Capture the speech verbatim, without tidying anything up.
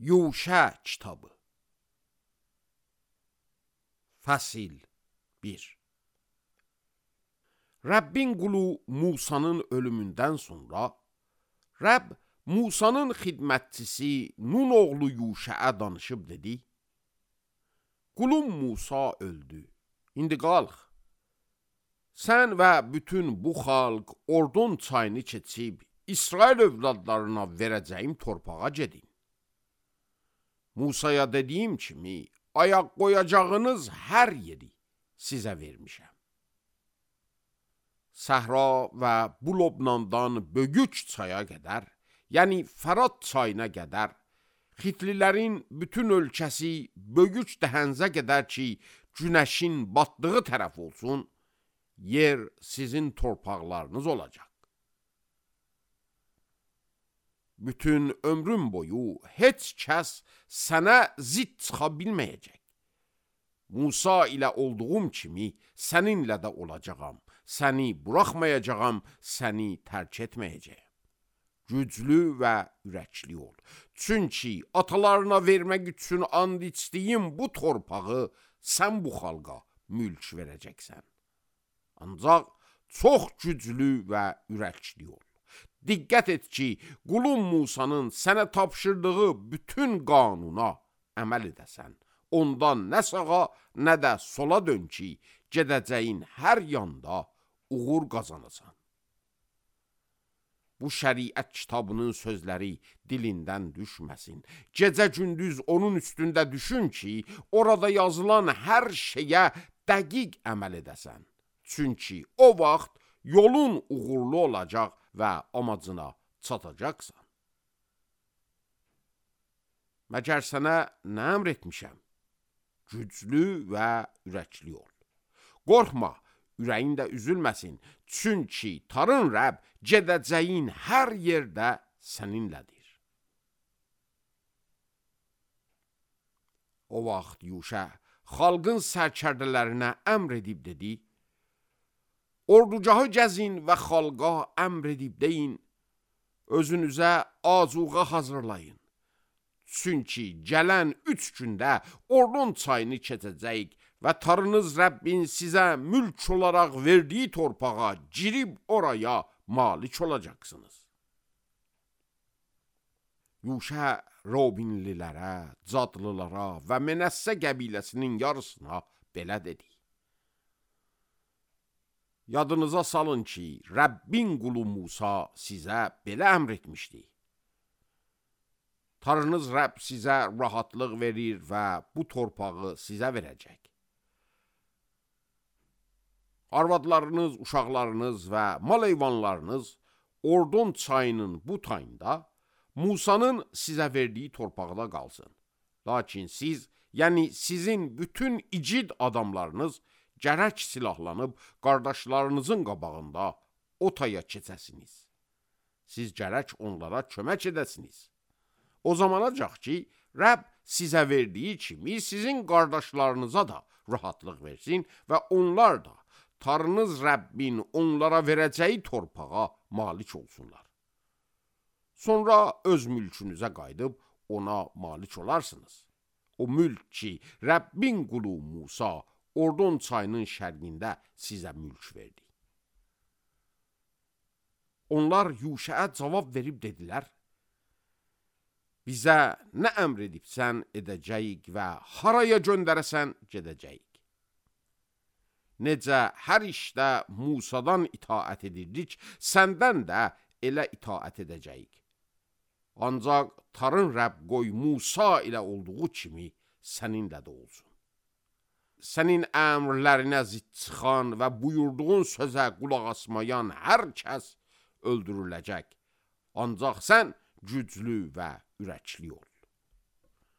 Yuşa kitabı. Fəsil bir. Rəbbin qulu Musanın ölümündən sonra, Rəbb Musanın xidmətçisi Nun oğlu Yuşəə danışıb dedi, qulum Musa öldü, indi qalx, sən və bütün bu xalq Ordon çayını keçib, İsrail övladlarına verəcəyim torpağa gedin. Musaya dediyim kimi, ayaq qoyacağınız hər yeri sizə vermişəm. Səhra və bu Lobnandan Bögüç çaya qədər, yəni Fərat çayına qədər, Xitlilərin bütün ölkəsi Bögüç dəhənzə qədər ki, günəşin batdığı tərəf olsun, yer sizin torpaqlarınız olacaq. Bütün ömrüm boyu heç kəs sənə zid çıxa bilməyəcək. Musa ilə olduğum kimi səninlə də olacağam, səni buraxmayacağam, səni tərk etməyəcəyəm. Güclü və ürəkli ol. Çünki atalarına vermək üçün and içdiyim bu torpağı sən bu xalqa mülk verəcəksən. Ancaq çox güclü və ürəkli ol. Diqqət et ki, qulum Musanın sənə tapşırdığı bütün qanuna əməl edəsən. Ondan nə sağa, nə də sola dön ki, gedəcəyin hər yanda uğur qazanasan. Bu şəriət kitabının sözləri dilindən düşməsin. Gecə-gündüz onun üstündə düşün ki, orada yazılan hər şeyə dəqiq əməl edəsən. Çünki o vaxt yolun uğurlu olacaq və amacına çatacaqsan. Məgər sənə nə əmr etmişəm? Güclü və ürəkli ol. Qorxma, ürəyin də üzülməsin. Çünki Tarın Rəbb gedəcəyin hər yerdə səninlədir. O vaxt Yuşa xalqın sərkərdələrinə əmr edib dedi, ordugahı gəzin və xalqa əmr edib deyin, özünüzə azuqa hazırlayın. Çünki gələn üç gündə Ordon çayını keçəcəyik və Tarınız Rəbbin sizə mülk olaraq verdiyi torpağa girib oraya malik olacaqsınız. Yuşa Robinlilərə, Cadlılara və Menəssə qəbiləsinin yarısına belə dedi. Yadınıza salın ki, Rəbbin qulu Musa sizə belə əmr etmişdi. Tarınız Rəbb sizə rahatlıq verir və bu torpağı sizə verəcək. Arvadlarınız, uşaqlarınız və mal heyvanlarınız Ordon çayının bu tayında Musanın sizə verdiyi torpaqda qalsın. Lakin siz, yəni sizin bütün igid adamlarınız gərək silahlanıb qardaşlarınızın qabağında o taya keçəsiniz. Siz gərək onlara kömək edəsiniz. O zamanacaq ki, Rəbb sizə verdiyi kimi sizin qardaşlarınıza da rahatlıq versin və onlar da Tarınız Rəbbin onlara verəcəyi torpağa malik olsunlar. Sonra öz mülkünüzə qayıdıb ona malik olarsınız. O mülk ki, Rəbbin qulu Musa Ordon çayının şərqində sizə mülk verdi. Onlar Yuşəə cavab verib dedilər, bizə nə əmr edibsən edəcəyik və haraya göndərəsən gedəcəyik. Necə hər işdə Musadan itaət edirdik, səndən də elə itaət edəcəyik. Ancaq Tarın Rəbb qoy Musa ilə olduğu kimi səninlə də olsun. Sənin əmrlərinə zid çıxan və buyurduğun sözə qulaq asmayan hər kəs öldürüləcək. Ancaq sən güclü və ürəkli ol.